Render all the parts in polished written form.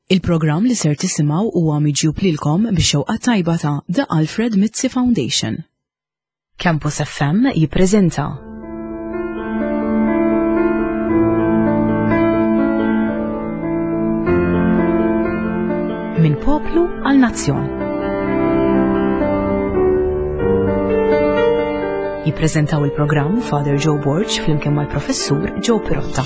Il-programm li ser tisimgħu huwa miġjub lilkom bix-xewqa tajba ta' The Alfred Mizzi Foundation. Campus FM jippreżenta Minn poplu għal nazzjon. Jippreżentaw il-programm Father Joe Borg flimkien mal-Professur Joe Pirotta.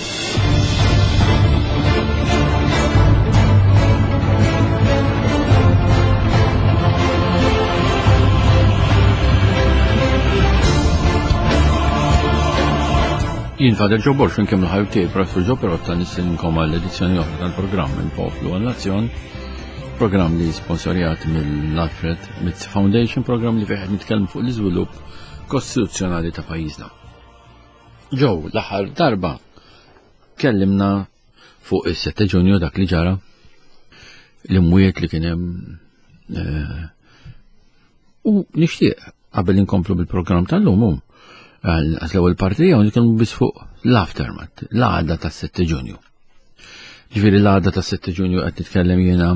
Jien Father Joe Borg flimkien mal-ħajb tiegħi Professur Joe Pirotta nistinkom għall-edizzjoni oħra tal-programm Minn Poplu għal Nazzjon, programm li sponsorjat mill-Alfred Mizzi Foundation, programm li fih qed nitkellmu fuq l-iżvilupp kostituzzjonali ta' pajjiżna. Joe, l-aħħar darba kellimna fuq is-7 Ġunju dak li ġara l-imwiet li kien hemm eh, u nixtieq qabel inkomplu bil-programm tal-lum hu għal l-ewwel parti tiegħu nitkellmu biss fuq l-aftermath, l-għada tas-7 Ġunju. Ġifieri l-għada tas-7 Ġunju qed nitkellem jiena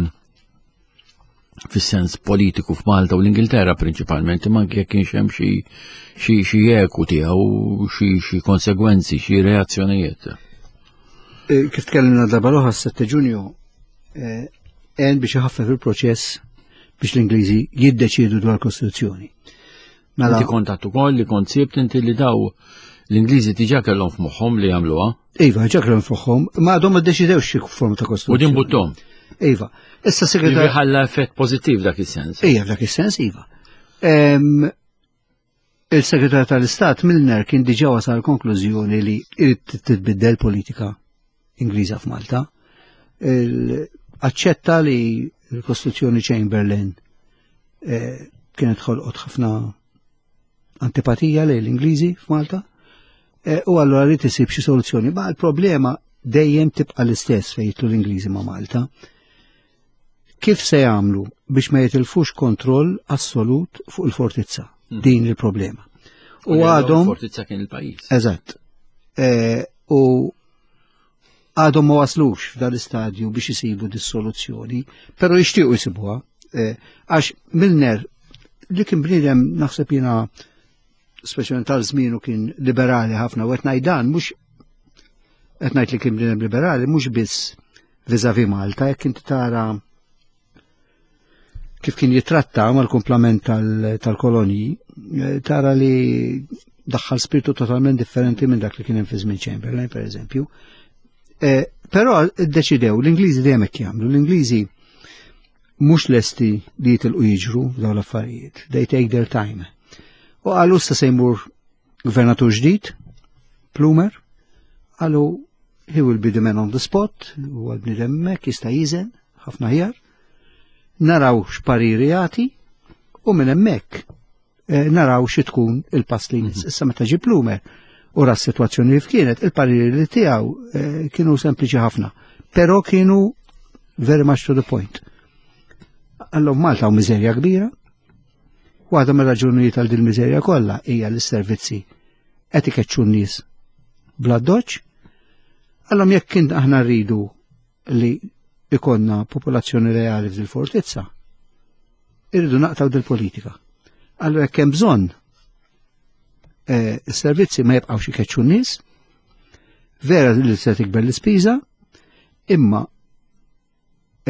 fis-sens politiku f'Malta u l-Ingilterra prinċipalment, imma anke jekk kienx hemm xi xi xi eku tiegħu, xi xi konsegwenzi, xi reazzjonijiet. Eh, kif tkellimna darba l-oħra s-7 Ġunju, eh, għen biex iħaffef il-proċess biex l-Ingliżi jiddeċiedu dwar kostituzzjoni. Mela Inti kont ukoll li kont sibt inti li daw l-Ingliżi diġà kellhom f'moħħhom li jagħmluha. Iva, ġa kellhom f'moħħhom, ma għadhom ma ddeċidewx xi forma ta' kostituzzjoni. U din buttom. Iva. Issa segretar. Ħalla effett pożittiv dak is-sens. Iva, f'dak is-sens, iva. Il-Segretar tal-Istat Milner kien diġà wasal konklużjoni li irid titbiddel politika Ingliża f'Malta. Aċċetta li l-Kostituzzjoni Chamberlain eh, kienet ħolqot ħafna antipatija lejn l-Ingliżi f'Malta eh, u allura rrid isib xi soluzzjoni. Ma l-problema dejjem tibqa' l-istess fejn jitlu l-Ingliżi ma' Malta. Kif se jagħmlu biex ma jitilfux kontroll assolut fuq il-fortizza? Hmm. Din il-problema. U għadhom. Fortizza kien il-pajjiż. Eżatt. Eh, u għadhom ma waslux f'dan l-istadju biex isibu dis-soluzzjoni, però jixtiequ jsibuha. Eh, għax Milner li kien bniedem naħseb jiena speċjalment tal-żmienu kien liberali ħafna u qed ngħid dan mhux qed ngħid li kien bniedem liberali mhux biss viżavi Malta, jekk inti tara kif kien jitratta mal-kumplament tal-kolonji, eh, tara li daħħal spiritu totalment differenti minn dak li kien hemm fi żmien Chamberlain, per eżempju. Eh, però ddeċidew, l-Ingliżi dejjem hekk jagħmlu, l-Ingliżi mhux lesti li jitilqu jiġru dawn l-affarijiet. They take their time. U qalu issa se jmur gvernatur ġdid, Plumer, qalu he will be the man on the spot, u għal-bnidem mek jista' jiżen ħafna ħjar. Naraw x'pariri jagħti u minn hemmhekk eh, naraw xi tkun il-pass li jmiss. Mhm. Issa meta ġie Plumer u ra s-sitwazzjoni li kienet, il-pariri li tiegħu eh, kienu sempliċi ħafna, però kienu very much to the point. Allora Malta u miżerja kbira, Waħda mir-raġunijiet għal din miżerja kollha hija li s-servizzi qed ikeċċu n-nies bla doċ. Allora jekk kien aħna rridu li ikonna popolazzjoni reali f'dil fortizza, irridu naqtaw dil-politika. Allora jekk hemm bżonn eh, is-servizzi ma jibqgħux ikeċċu n-nies, vera li se tikber l-ispiża, imma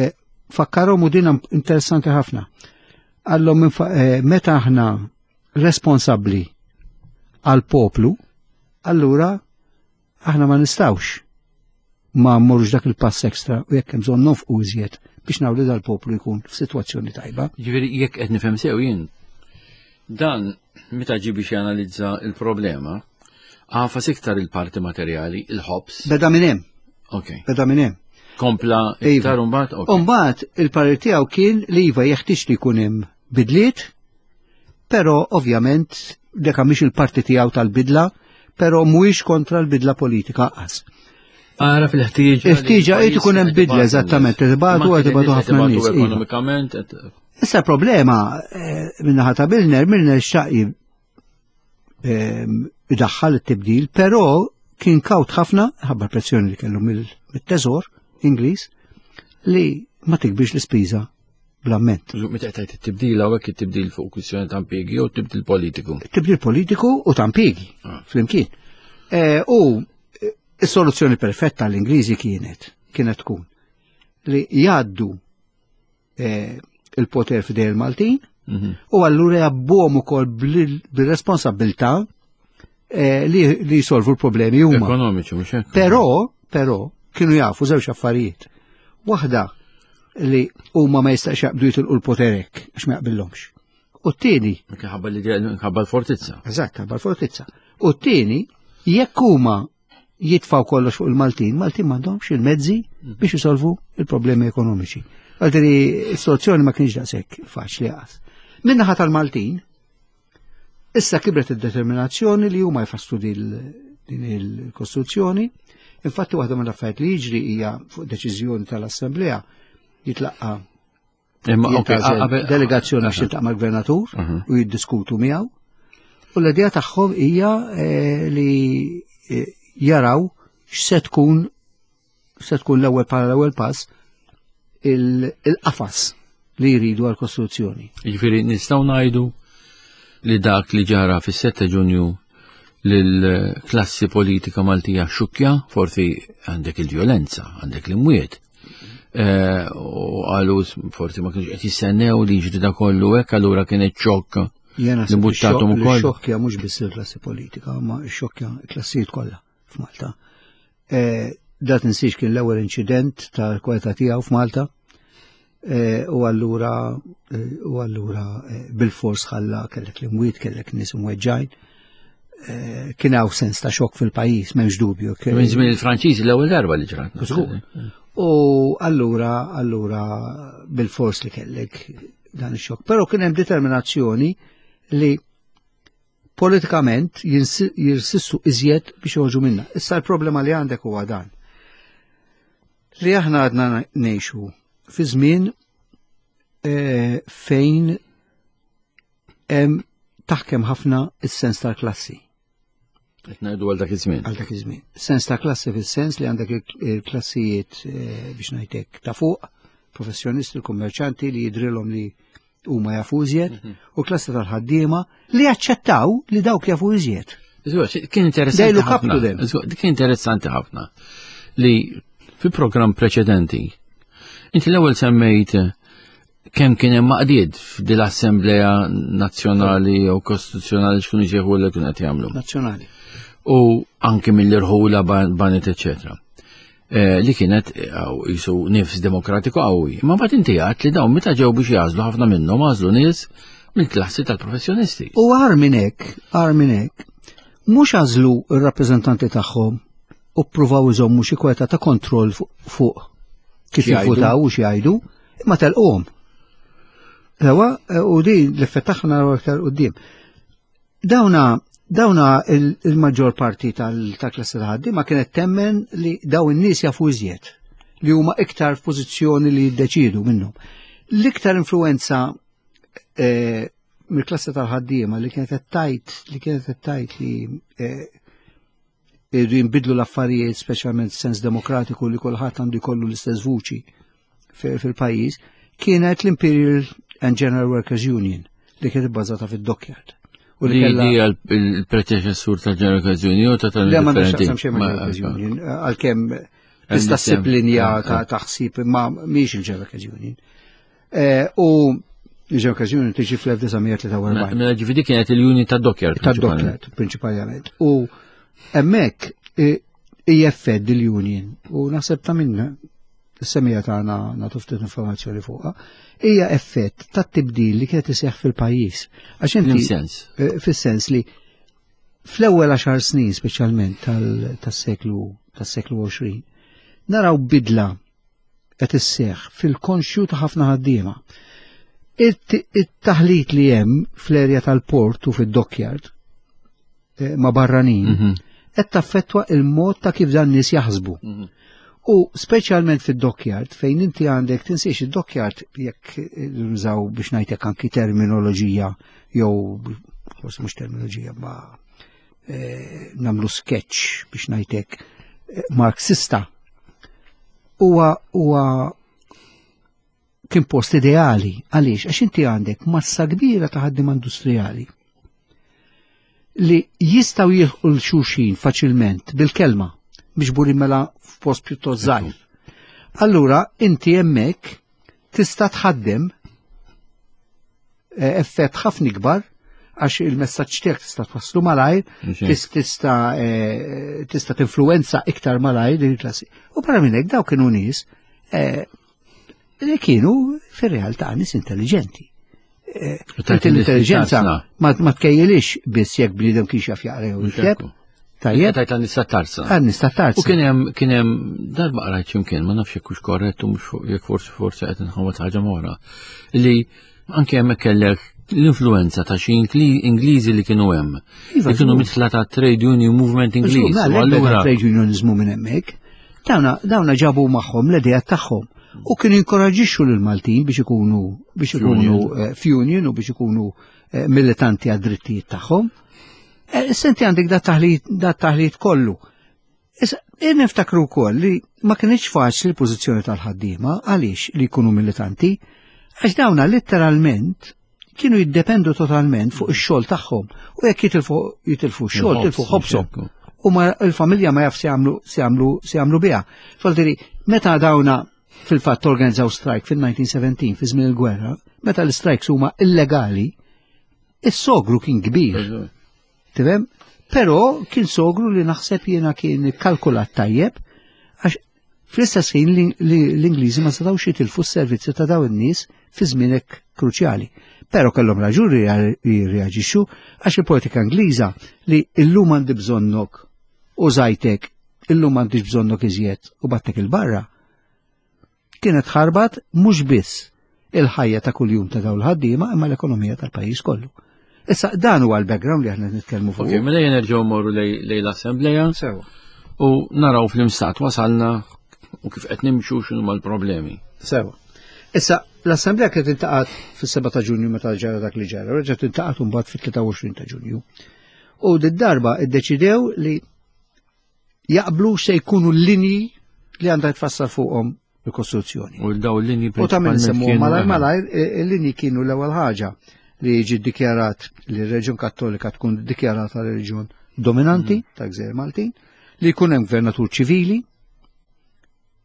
eh, fakkarhom u din interessanti ħafna. Għallhom eh, meta aħna responsabbli għal poplu, allura aħna ma nistawx ma mmorrux dak il-pass ekstra u jekk hemm bżonn nonfqu iżjed biex nagħmlu dal-poplu jkun f'sitwazzjoni tajba. Ġifieri jekk qed nifhem sew jien, dan meta ġi biex janalizza il-problema, għafas iktar il-parti materjali, il-ħobs. Beda minn hemm. Ok. Beda minn hemm. Kompla iva. iktar imbagħad. Imbagħad il-parir tiegħu kien li iva jeħtieġ li jkun hemm bidliet, però ovvjament deka mhix il-parti tiegħu tal-bidla, però mhuwiex kontra l-bidla politika qas. Ara fil-ħtieġa. Il-ħtieġa qed ikun hemm bidla eżattament, tibatu qed ibatu ħafna nies. Iva. Ekonomikament. Issa problema eh, minnaħa ta' Milner, Milner xaqi ehm, idaħħal it-tibdil, però kien kawt ħafna, ħabba pressjoni li kellu mill-teżor Ingliż, li ma tikbirx l-ispiża bl-amment. Meta qed it-tibdil hawnhekk it-tibdil fuq kwistjoni ta' impjiegi jew tibdil politiku? Tibdil politiku u ta' impjiegi ah. flimkien. Eh, u eh, is-soluzzjoni perfetta l-Ingliżi kienet kienet tkun li jgħaddu eh, il-poter f'idej il-Maltin mhm. u allura jabbuhom ukoll bil-responsabilità li jisolvu l-problemi huma. Ekonomiċi mhux hekk. Però, però kienu jafu żewġ affarijiet. Waħda li huma ma jistax jaqbdu jitilqu l-poter hekk għax ma jaqbillhomx. U t-tieni. Ħabba li ħabba l-fortizza. Eżatt, ħabba l-fortizza. U t-tieni, jekk huma jitfaw kollox fuq il-Maltin, Maltin m'għandhomx il-mezzi mhm. biex isolvu il-problemi ekonomiċi. Għaldri, s-soluzzjoni ma kienx daqshekk faċli għas. Minnaħa tal-Maltin, issa kibret id-determinazzjoni li huma jfasslu din il-kostruzzjoni. Infatti waħda mill-affarijiet li jiġri hija fuq deċiżjoni tal-Assemblea jitlaqqa delegazzjoni għax tiltaq mal-gvernatur u jiddiskutu miegħu. U l-idea tagħhom hija eh, li eh, jaraw x'se tkun se tkun l-ewwel bħala l-ewwel pass il-qafas li jridu għal-kostruzzjoni. Jiġifieri nistgħu ngħidu li dak li ġara fis-7 Ġunju lill-klassi politika Maltija xukkja, forsi għandek il-vjolenza, għandek l-imwiet. Eh, u għalu forsi ma kienx qed jistennew li jiġri da kollu hekk allura kienet xokk. Jena li buttatom ukoll. Xokkja mhux biss il-klassi politika, ma xokkja l-klassijiet kollha f'Malta. Eh, da tinsiex kien l-ewwel inċident tal-kwalità tiegħu f'Malta. Eh, u allura u allura bil-fors ħalla kellek l-imwiet, kellek nies imweġġajn. Eh, kien hawn sens ta' xokk fil-pajjiż, m'hemmx dubju. Minn żmien il-Franċiżi l-ewwel darba li ġrat. U allura, allura bil-fors li kellek dan ix-xokk. Però kien hemm determinazzjoni li politikament jirsistu iżjed biex joħorġu minna. Issa l-problema li għandek huwa dan. Li aħna għadna ngħixu fi żmien eh, fejn hemm taħkem ħafna is-sens tal-klassi. Qed ngħidu għal dak iż-żmien. Għal dak iż-żmien. Sens ta' klassi fis-sens li għandek il-klassijiet eh, biex ngħidlek ta' fuq, professjonisti, kummerċanti li jidrilhom li huma jafu iżjed, mhm. u klassi tal-ħaddiema li jaċċettaw li dawk jafu iżjed. Kien interessanti ħafna. Kien interessanti ħafna li fi programm preċedenti inti l-ewwel semmejt kemm kien hemm maqdied f'dil assemblea nazzjonali jew kostituzzjonali x'kienu ġieħu li kienu qed jagħmlu. Nazzjonali. U anki mill-irħula banet eċetera. Eh, li kienet eh, jisu nifs demokratiku qawwi. Ma mbagħad inti għadt li dawn meta ġew biex jażlu ħafna minnhom għażlu nies mill-klassi tal-professjonisti. U għar minn hekk, għar minn hekk, mhux għażlu r-rappreżentanti tagħhom u ppruvaw iżommu xi kweta ta' kontroll fuq kif jivvutaw u xi jgħidu, imma telquhom. Ewa, u din l-effett tagħha naraw aktar quddiem. Dawna dawna il-maġġor parti tal-klassi ta' ħaddiema kienet temmen li daw in-nies jafu iżjed li huma iktar f'pożizzjoni li jiddeċidu minnhom. L-iktar influenza eh, mill-klassi tal-ħaddiema li kienet tajt li kienet tajt li eh, irridu jinbidlu l-affarijiet, speċjalment sens demokratiku li kulħadd għandu jkollu l-istess vuċi fil-pajjiż, kienet l-Imperial and General Workers Union li kienet ibbażata fid-Dockyard. U li hija l-predeċessur tal-General Workers Union ta' tal Le ma nixtaqsam xejn ma' Workers Union, għalkemm tista' ssib linja ta' ħsieb imma mhix il-General Workers Union. Eh, u Ġew okkażjoni tiġi fl-1943. Mela ġifieri kienet il-unit ta' Dockyard. Ta' Dockyard, prinċipalment. U hemmhekk IFED il-union u naħseb ta' minna is-semija tagħna nagħtu ftit informazzjoni fuqha, hija effett tat-tibdil li kienet iseħħ fil-pajjiż. Għax inti sens. Eh, fis-sens li fl-ewwel għaxar snin speċjalment tas-seklu tas-seklu 20 naraw bidla qed isseħħ fil-konxju ta' ħafna ħaddiema. It-taħlit li hemm fl-erja tal-port u fid-dockyard eh, ma' barranin mhm. qed taffettwa il-mod ta' kif dan nies jaħsbu. Mhm. U speċjalment fid-dockyard fejn inti għandek tinsiex id-dockyard jekk nużaw biex ngħidlek anki terminoloġija jew forsi mhux terminoloġija ma eh, namlu sketch biex ngħidlek eh, marxista huwa huwa kien post ideali għaliex għax inti għandek massa kbira ta' ħaddiema industrijali li jistgħu jilħqu l xulxin faċilment bil-kelma miġburin mela f'post pjuttost żgħir. Allura inti hemmhekk tista' tħaddem eh, effett ħafna ikbar għax il-messaġġ tiegħek tista' twasslu malajr, tista' eh, tista' tinfluwenza iktar malajr din il-klassi. U barra minn hekk dawk kienu nies eh, li kienu fir-realtà nies intelligenti. Intelligenza ma tkejjilix biss jekk bniedem kienx jaf jaqra jew jikteb. Tajjeb. Tajt għan-nisa tarza. Għan-nisa tarza. U kien hemm kien hemm darba qrajt x'imkien, ma nafx jekk hux korrett u mhux jekk forsi forsi qed inħawad ħaġa oħra. Li anke hemmhekk kellek l-influenza ta' xi Ingliżi li kienu hemm. Iva, li kienu mitla ta' trade union movement Ingliż. Mela, allura trade unionizmu minn hemmhekk. Dawna dawna ġabu magħhom l-idea tagħhom u kienu jinkoraġixxu lil Maltin biex ikunu biex ikunu eh, f'union u biex ikunu eh, militanti għad-drittijiet tagħhom. Eh, senti għandek da taħlit da taħlit kollu. Issa, niftakru wkoll li ma kienx faċli l-pożizzjoni tal-ħaddiema għaliex li jkunu militanti, għax dawna letteralment kienu jiddependu totalment fuq ix-xogħol tagħhom u jekk jitilfu jitilfu x-xogħol tilfu ħobshom. U ma il-familja ma jaf se jagħmlu se jagħmlu se jagħmlu biha. Faltiri, meta dawna fil-fatt organizzaw strike fil-1917 fi żmien il-gwerra, meta l-strikes huma illegali, is-sogru kien kbir. Tifhem? Però kien sogru li naħseb jiena kien kalkulat tajjeb għax fl-istess ħin l-Ingliżi ma setgħux jitilfu s-servizzi ta' dawn in-nies fi żmien hekk kruċjali. Però kellhom raġun jirreaġixxu għax il-politika Ingliża li illum għandi bżonnok u żajtek, illum m'għandix bżonnok iżjed u battek il-barra. Kienet ħarbat mhux biss il-ħajja ta' kuljum ta' dawn il-ħaddiema imma l-ekonomija tal-pajjiż kollu. Issa dan huwa l-background li aħna nitkellmu fuq. Ok, mela jien nerġgħu mmorru lejn l-assembleja. Sewa. U naraw fl-imstat wasalna u kif qed nimxu x'inhu l-problemi. Sewa. Issa l-assembleja kienet intaqat fis-7 ta' Ġunju meta ġara dak li ġara, reġgħet intaqat imbagħad fit-23 ta' Ġunju. U d-darba iddeċidew li jaqblu se jkunu l-linji li għandha tfassal fuqhom il-kostruzzjoni. U daw l-linji U ta' minn semmu malajr malajr il-linji kienu l-ewwel ħaġa li jiġi ddikjarat li r-Reġjun Kattolika tkun ddikjarata reġjun dominanti mm. ta' Gżejjer Maltin, li jkun hemm gvernatur ċivili,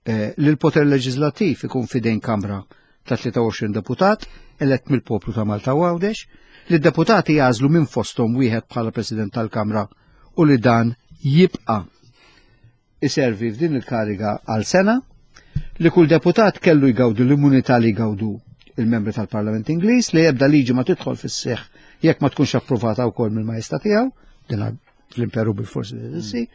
eh, li l-poter leġislattiv ikun fidejn Kamra ta' 23 deputat elett mill-poplu ta' Malta u Għawdex, li d-deputati jagħżlu minn fosthom wieħed bħala President tal-Kamra u li dan jibqa' iservi f'din il-kariga għal sena, li kull deputat kellu jgawdu l-immunità li jgawdu il-membri tal-Parlament Ingliż li ebda liġi ma tidħol fis-seħħ jekk ma tkunx approvata wkoll mill-Majesta tiegħu, din fl-imperu bil-forsi li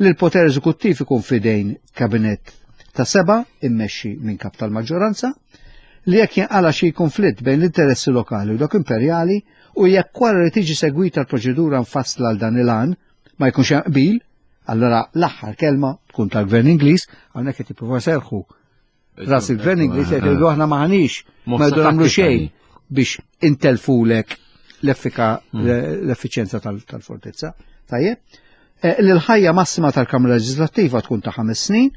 li l-poter eżekuttiv ikun fidejn kabinett ta' seba immexxi minn kap tal-maġġoranza, li jekk jinqala xi konflitt bejn l-interessi lokali u dak imperjali u jekk wara li tiġi segwita l-proċedura mfassla għal dan il-għan ma jkunx hemm qbil, allura l-aħħar kelma tkun tal-Gvern Ingliż, hawnhekk qed jippruvaw serħu ras il-Gvern Ingliż qed jgħidu aħna maħniex ma jdu nagħmlu xejn biex intelfulek l-effika hmm. l-effiċenza tal-fortizza. Tajjeb. Eh, l-ħajja massima tal-Kamra Leġislattiva tkun ta' ħames snin,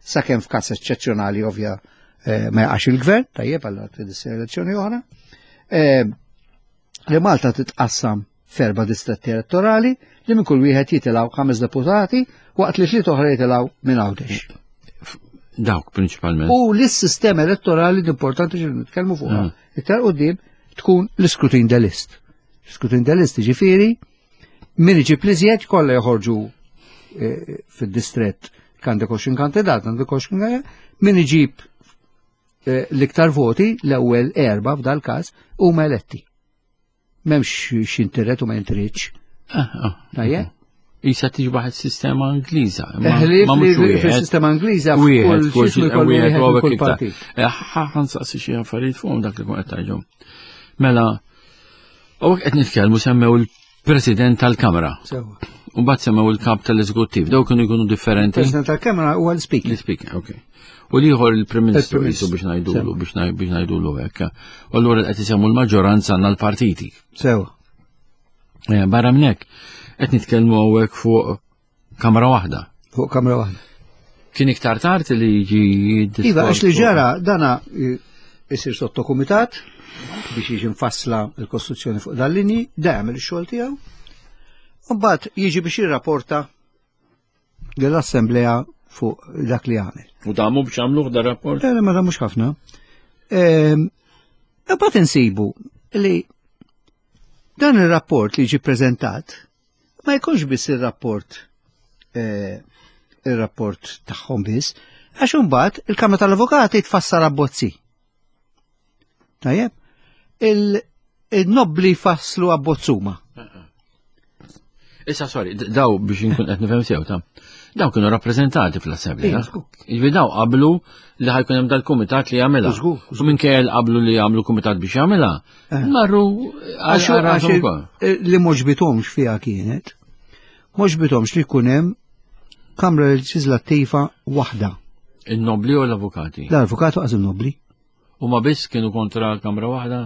sakemm f'każ eċċezzjonali ovvja eh, ma jaqax il-gvern, tajjeb għal trid elezzjoni oħra. Eh, li Malta titqassam f'erba' distretti elettorali li minn kull wieħed jitilgħu ħames deputati waqt li tliet oħra jitilgħu minn Għawdex. Dawk prinċipalment. U l-sistema elettorali importanti xi nitkellmu fuqha. Mm. Iktar qudiem tkun l-iskrutin de list. L-iskrutin de list ġifieri min iġib li żjed kollha joħorġu eh, fid-distrett għandek 20 kandidat, għandek 20 kandidat, min iġib eh, l-iktar voti l-ewwel erba' f'dal każ huma eletti. M'hemmx x'intiret u ma jintriċ. Ah, ah. Tajjeb? Isa tiġbaħ il-sistema Ingliża. Ma mhux fil-sistema Ingliża wieħed kull wieħed kull partit. Eh, ħan saqsi xi affarijiet fuqhom dak li kun qed tgħidhom. Mela, u qed nitkellmu semmew il-President tal-Kamra. U bat semmew il-kap tal-eżekuttiv, daw kienu jkunu differenti. Il-President tal-Kamra huwa l-Speaker. L-Speaker, ok. U liħor il-Prim Ministru jisu biex ngħidulu biex ngħidulu hekk. U allura qed isemmu l-maġġoranza għandna l-partiti. Sewa. Eh, barra minn hekk qed nitkellmu hawnhekk fuq kamra waħda. Fuq kamra waħda. Kien iktar tard li jiġi Iva, għax li ġara dana eh, Isir sottokumitat biex jiġi mfassla l-Kostituzzjoni fuq dal-linji, da jagħmel ix-xogħol tiegħu. U mbagħad jiġi biex jirrapporta lill-Assemblea fuq dak li għamel. U damu biex għamluh da rapport? Eh, ma damux ħafna. Ehm, imbagħad insibu li dan ir-rapport li ġi preżentat ma jkunx biss ir-rapport eh, ir-rapport tagħhom biss, għax imbagħad il-Kamra tal-Avukati tfassar abbozzi. Tajjeb, il-nobbli fasslu abbozzuma. Issa, sorry, daw biex inkun qed nifhem sew ta' daw kienu rappreżentati fl-assemblea. Jiġifieri daw qablu li ħajkun hemm dal-kumitat li jagħmilha. U minkejja qablu li jagħmlu kumitat biex jagħmilha, eh. marru għax eh, li moġbitomx fiha kienet. Moġbitomx li jkun hemm Kamra Leġislattiva waħda. Il-nobli u l-avukati? L-avukati għaz il-nobli. U ma biss kienu kontra kamra waħda?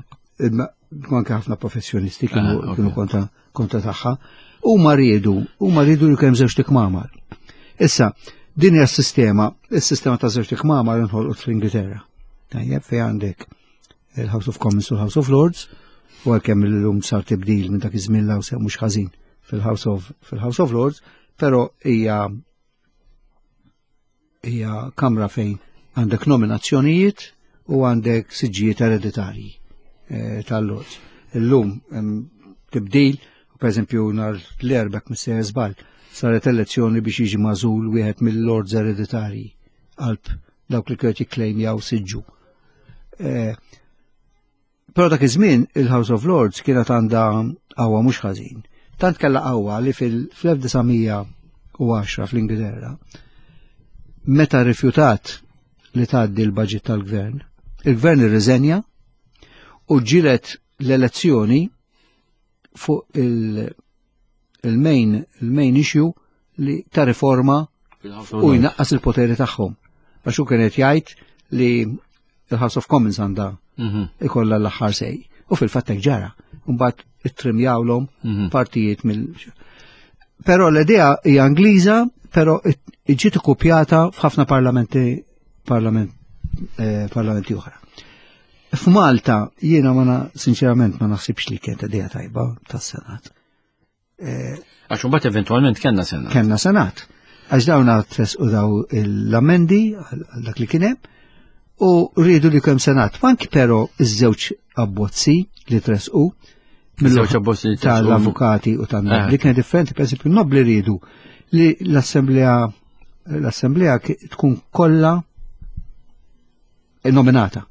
Anke ħafna professjonisti kienu ah, kontra kontra tagħha. U ma riedu, u ma riedu li kemm żewġ tikmamar. Issa, din hija s-sistema, is-sistema ta' żewġ tikmamar inħolqot fl-Ingilterra. Tajjeb fejn għandek il-House of Commons u l-House of Lords, u għalkemm illum sar tibdil minn dak iż-żmien law sew mhux ħażin fil-House of fil-House of Lords, però hija hija kamra fejn għandek nominazzjonijiet u għandek siġġijiet ereditarji eh, tal-lords. Illum tibdil, per eżempju nar l-erbek mis-sejjer żball, saret elezzjoni biex jiġi magħżul wieħed mill-lords ereditarji qalb dawk li kienu jikklejmjaw siġġu. Eh, Però dak iż-żmien il-House of Lords kienet għandha qawwa mhux ħażin. Tant kellha qawwa li fil-1910 fl-Ingilterra meta rrifjutat li tgħaddi l-budget tal-gvern, il-gvern irriżenja u ġilet l-elezzjoni fuq il-main il-main issue li ta' riforma u jnaqqas il-poteri tagħhom. Għax hu kienet jgħid li il-House of Commons għandha mhm. ikollha l-aħħar sej. U fil-fatt hekk ġara. Mbagħad ittrimjawlhom mhm. partijiet mill. Però l-idea hija Ingliża, però ġiet ikkupjata f'ħafna parlamenti parlament, eh, parlamenti oħra. F'Malta jiena ma sinċerament ma naħsibx li kienet idea tajba tas-Senat. Eh, Għax mbagħad eventwalment kellna Senat. Kellna Senat. Għax dawn u daw l-amendi għal dak li kien hemm u rridu li kemm Senat. Anki però iż-żewġ abbozzi li tresqu mill-żewġ abbozzi tal-avukati u tan-nobli eh. kien differenti, per esempio, nobli rridu li l-assemblea l-assemblea tkun kollha nominata.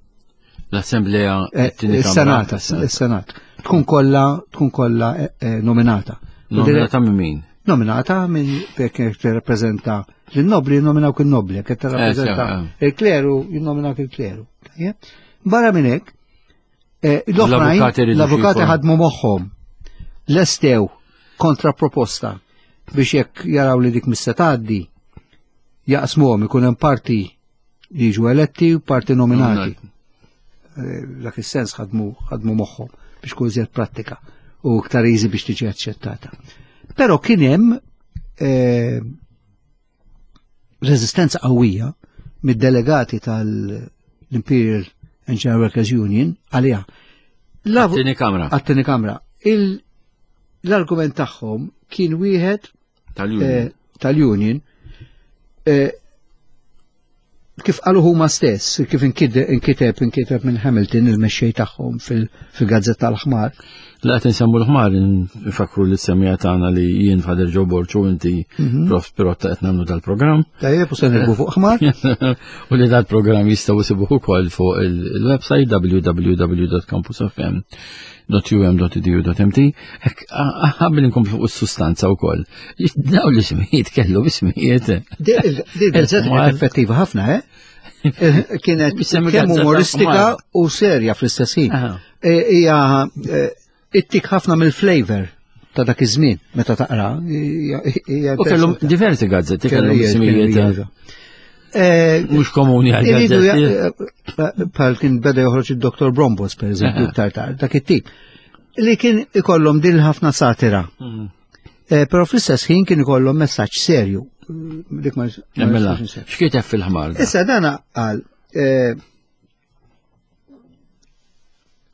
L-Assemblea eh, il-Senat, il-Senat. Tkun kollha tkun kollha eh, eh, nominata. Nominata minn min? Nominata minn jekk tirrappreżenta l-nobli jinnominaw il-nobli, jekk tirrappreżenta il-kleru jinnominaw il-kleru. Barra minn hekk, l-oħrajn l-avukati ħadmu moħħhom lestew kontra proposta biex jekk jaraw li dik mista tgħaddi jaqsmuhom ikun hemm parti li jiġu eletti u parti nominati. Eh, dak is-sens ħadmu ħadmu moħħhom biex tkun iżjed prattika u iktar easy biex tiġi aċċettata. Però kien hemm eh, reżistenza qawwija mid-delegati tal-Imperial Engineer Workers Union għaliha. Għat-tieni kamra. Għat-tieni kamra. L-argument tagħhom kien wieħed Tal-union. Eh, tal-union. Eh, kif qalu huma stess, kif inkiteb inkiteb minn Hamilton il-mexxej tagħhom fil-gazzetta tal-ħmar. La qed insemmu l-ħmar nfakru li semmija tagħna li jien Fader Joe Borċu inti mhm. Prof Pirotta qed nagħmlu dal-programm. Tajjeb u se nirbu fuq ħmar. U li dal-programm jistgħu jsibuh ukoll fuq il-website www.campusfm.um.edu.mt Qabel inkomplu fuq is-sustanza wkoll. Daw l-ismijiet kellu ismijiet. Di effettiva ħafna, eh? eh kienet kemm umoristika u serja fl-istess ħin. Eh, hija eh, ittik ħafna mill-flavor ta' dak iż-żmien meta taqra. U kellhom diversi gazzetti kellhom ismijiet. Mhux komuni għal gazzetti. Bħal kien beda joħroġ id-Dr. Brombos, per eżempju, iktar tard, dak it-tip. Li kien ikollhom din ħafna satira. Mm. Eh, però fl-istess ħin kien ikollhom messaġġ serju. Dik ma Mela, x'kiteb fil-ħmar? Issa dana qal eh,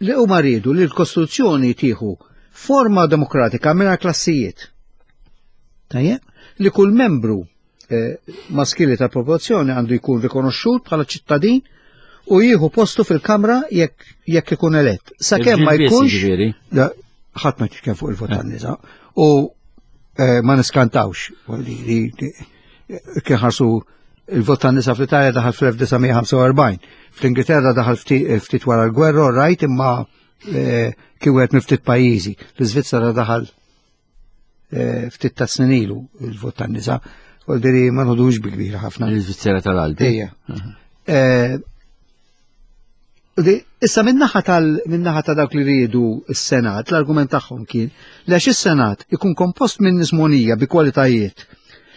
Li huma riedu li l-Kostituzzjoni tieħu forma demokratika mingħajr klassijiet. Tajjeb? Li kull membru eh, maskili tal-popolazzjoni għandu jkun rikonoxxut bħala ċittadin u jieħu postu fil-Kamra jekk jekk ikun elett. Sakemm ma jkunx ħadd ma jitkellem fuq il-vot tan-nisa u eh, ma niskantawx li kien ħarsu il-vot tan-nisa fl-Italja daħal fl-1945. Fl-Ingilterra daħal ftit wara l-gwerra, rajt imma eh, kien wieħed minn ftit pajjiżi. L-Iżvizzera daħal eh, ftit ta' snin ilu il-vot tan-nisa. Voldiri ma nħodux bi kbira ħafna. L-Iżvizzera tal-Alpi. Ejja. Eh, issa minnaħa tal minnaħa ta' dawk li riedu s-Senat, l-argument tagħhom kien li għax is-Senat ikun kompost minn nismonija bi kwalitajiet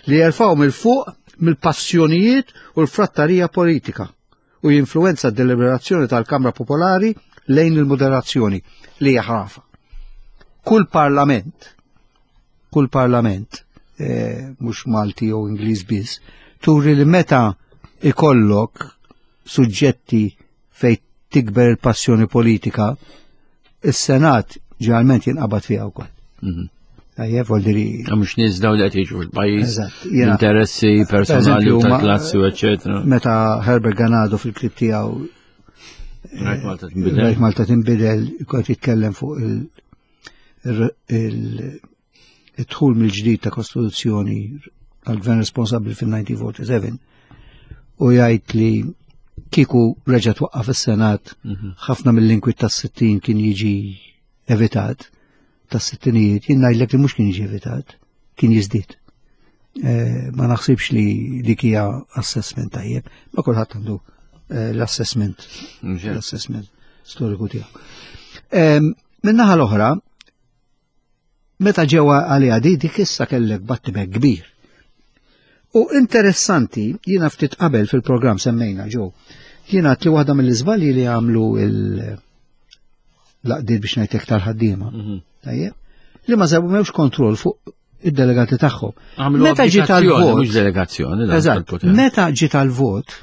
li jerfgħu mill-fuq mill-passjonijiet u l-frattarija politika u jinfluwenza d-deliberazzjoni tal-Kamra Popolari lejn il-moderazzjoni li hija ħrafa. Kull parlament, kull parlament, eh, mhux Malti jew Ingliż biss, turi li meta ikollok suġġetti fejn tikber il-passjoni politika, is-Senat ġeneralment jinqabad fiha wkoll. Mhm. Tajjeb, vol diri. Mhux nies dawn li qed jiġu fil-pajjiż. Interessi personali u tal-klassi, eċetera. Meta Herbert Ganado fil-klib tiegħu Rajt Malta tinbidel. Rajt Malta tinbidel, kont jitkellem fuq il-dħul mill-ġdid ta' Kostituzzjoni għal-gvern responsabbli fil-1947 u jgħid li kieku reġa' twaqqaf is-Senat mhm. ħafna mill-inkwit tas-60 kien jiġi evitat tas-sittinijiet, jien ngħidlek li mhux kien jiġi evitat, kien jiżdied. Eh, ma naħsibx li dik hija assessment tajjeb, ma kulħadd għandu eh, l-assessment l-assessment storiku tiegħu. Min-naħa l-oħra, meta ġewwa għaliha di dik issa kellek battibek kbir. U interessanti, jiena ftit qabel fil-programm semmejna ġew, jiena li waħda mill-iżbalji li għamlu il- laqdiet biex ngħidlek tal-ħaddiema. Mhm. Tajjeb? Li ma żewmewx kontroll fuq id-delegati tagħhom. Meta ġiet għal-vot. Mhux delegazzjoni. Eżatt. Meta ġiet għal-vot,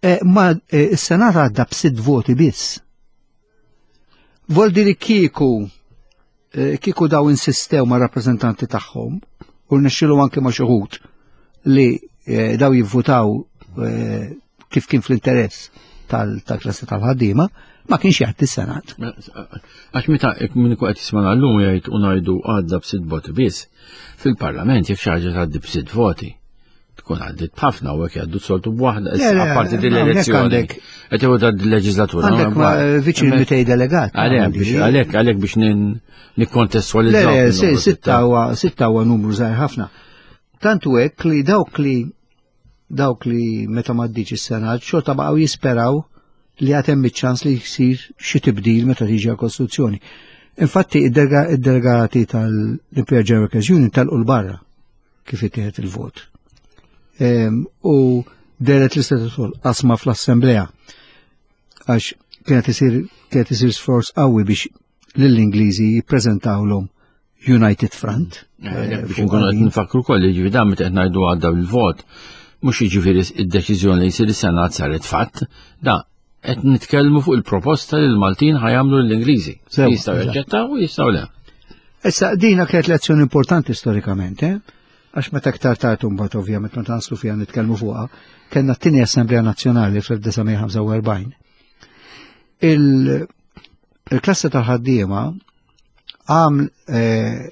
eh, ma eh, s-Senat għadda b'sitt voti biss. Voldi li kieku eh, kieku daw insistew ma' rappreżentanti tagħhom u rnexxilu anke ma' xi li eh, daw jivvutaw eh, kif kien fl-interess tal-klassi tal-ħaddiema, ma kienx jgħaddi s-Senat. Mela, għax meta minn qed jisma' llum jgħid u ngħidu għadda b'sitt voti biss, fil-Parlament jekk xi ħaġa tgħaddi b'sitt voti, tkun għaddit b'ħafna u hekk jgħaddu soltu b'waħda, apparti din l-elezzjoni. Qed jew da l-leġislatura. Għandek viċin 200 delegat. Għalhekk għalhekk biex nikkontestualizzaw. Le, sitta huwa numru żgħir ħafna. Tant u hekk li dawk li dawk li meta m'għaddiċ is-Senat xorta baqgħu jisperaw li għad hemm iċ-ċans li jsir xi tibdil meta tiġi għall-Kostituzzjoni. Infatti id-delegati tal-Imperial General Workers Union telqu l-barra kif ittieħed il-vot. Ehm, u deret l-istitut qasma fl-Assemblea għax kienet isir kienet isir sforz qawwi biex lill-Ingliżi jippreżentawlhom United Front. Eh, eh, biex nkunu qed nfakru koll jiġifieri dan meta qed ngħidu għadda bil-vot, mhux jiġifieri id-deċiżjoni li jsir is-Senat saret fatt, da qed nitkellmu fuq il-proposta li l-Maltin ħajamlu l-Ingliżi. Jistgħu jaċċettaw u jistgħu le. Issa dina kienet lezzjoni importanti storikament, eh? Għax meta aktar tard imbagħad ovvjament meta naslu fiha nitkellmu fuqha, kellna t-tieni Assemblea Nazzjonali fl-1945. Il-klassi tal-ħaddiema għam eh,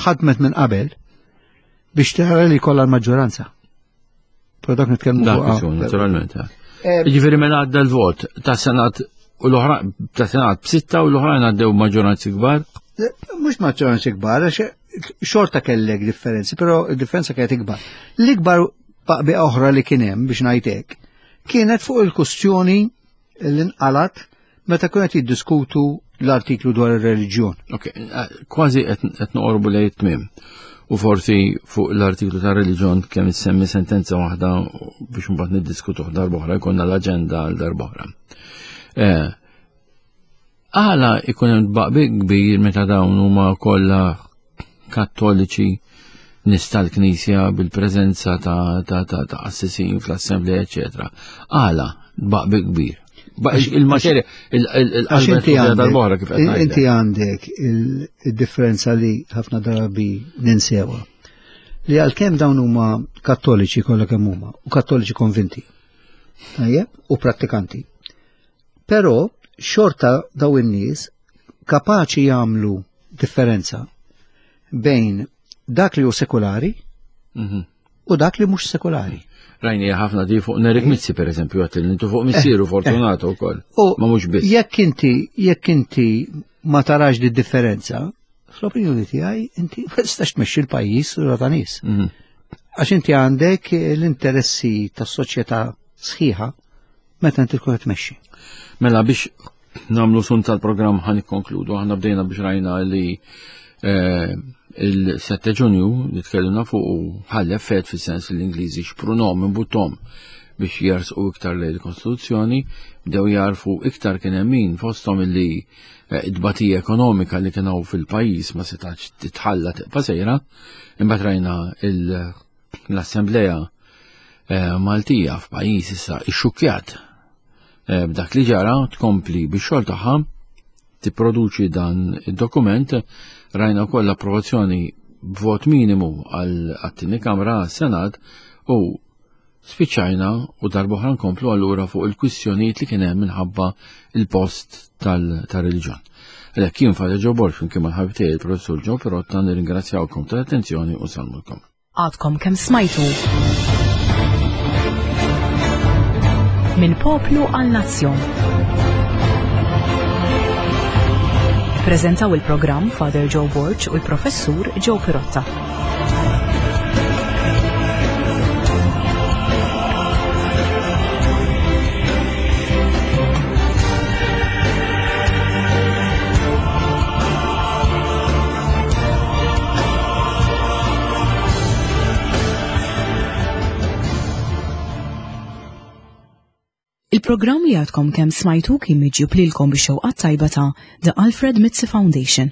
ħadmet minn qabel biex tara li kollha l-maġġoranza. Pero dak nitkellmu fuq. Naturalment. Eh. eh, Jiġifieri mela għadda l-vot ta' Senat u l-oħra ta' Senat b'sitta u l-oħrajn għaddew maġġoranzi kbar? Eh, mhux maġġoranzi kbar, għax xorta kellek differenzi, però d-differenza kienet ikbar. L-ikbar baqbi oħra li kien hemm biex ngħidlek kienet fuq il-kustjoni li nqalat meta kienu qed jiddiskutu l-artiklu dwar ir-reliġjon. Ok, eh, kważi qed noqorbu lejn it-tmiem. U forsi fuq l-artiklu ta' reliġjon kemm issemmi sentenza waħda biex mbagħad niddiskutuh darb'oħra jkollna l-aġenda għal darb'oħra. Eh, għala ikun hemm tbaqbi kbir meta dawn huma kollha kattoliċi nies tal-Knisja bil-preżenza ta' ta' ta' ta' qassisin fl-Assemblea, eċetera. Għala baqbi kbir. Il-materja, il-qalba tal-boħra kif qed Inti għandek il-differenza li ħafna drabi ninsewa. Li għalkemm dawn huma kattoliċi kollha kemm huma, u kattoliċi konvinti. Tajjeb, u prattikanti. Però xorta daw in-nies kapaċi jagħmlu differenza bejn dak li hu sekulari mhm. u dak li mhux sekulari. Rajni ħafna di fuq Nerik Mizzi per eżempju għat intu fuq missieru eh, Fortunato eh. wkoll. Ma mhux biss. Jekk inti jekk inti ma tarax di differenza, fl-opinjoni tiegħi inti ma tistax tmexxi l-pajjiż u ta' nies. Mhm. Għax inti għandek l-interessi tas-soċjetà sħiħa meta inti tkun qed tmexxi. Mela biex namlu sun tal-programm ħan ikkonkludu, aħna bdejna biex rajna li eh, il-7 ġunju li tkellimna fuq u ħall effett fis-sens li l-Ingliżi xprunom minn buttom biex jersqu iktar lejn il-Kostituzzjoni, bdew jarfu iktar kien hemm min fosthom illi eh, id-batija ekonomika li kien hawn fil-pajjiż ma setax titħalla tibqa' sejra, imbagħad rajna l-Assembleja eh, Maltija f'pajjiż issa ixxukkjat eh, b'dak li ġara tkompli bix-xogħol tagħha tipproduċi dan id-dokument rajna wkoll l-approvazzjoni b'vot minimu għal għat-tieni kamra għas-Senat u spiċċajna u darbohra nkomplu allura fuq il-kwistjonijiet li kien hemm minħabba il-post tal-reliġjon. Għalhekk jien Father Joe Borg flimkien mal-ħabib tiegħi il-Professur Joe Pirotta nirringrazzjawkom tal-attenzjoni u salmulkom. Għadkom kemm smajtu. Minn poplu għal nazzjon. Prezentaw il-programm Father Joe Borg u l-Professur Joe Pirotta. Il-programm li għadkom kemm smajtu kien miġjub lilkom bix-xewqat tajba ta' The Alfred Mizzi Foundation.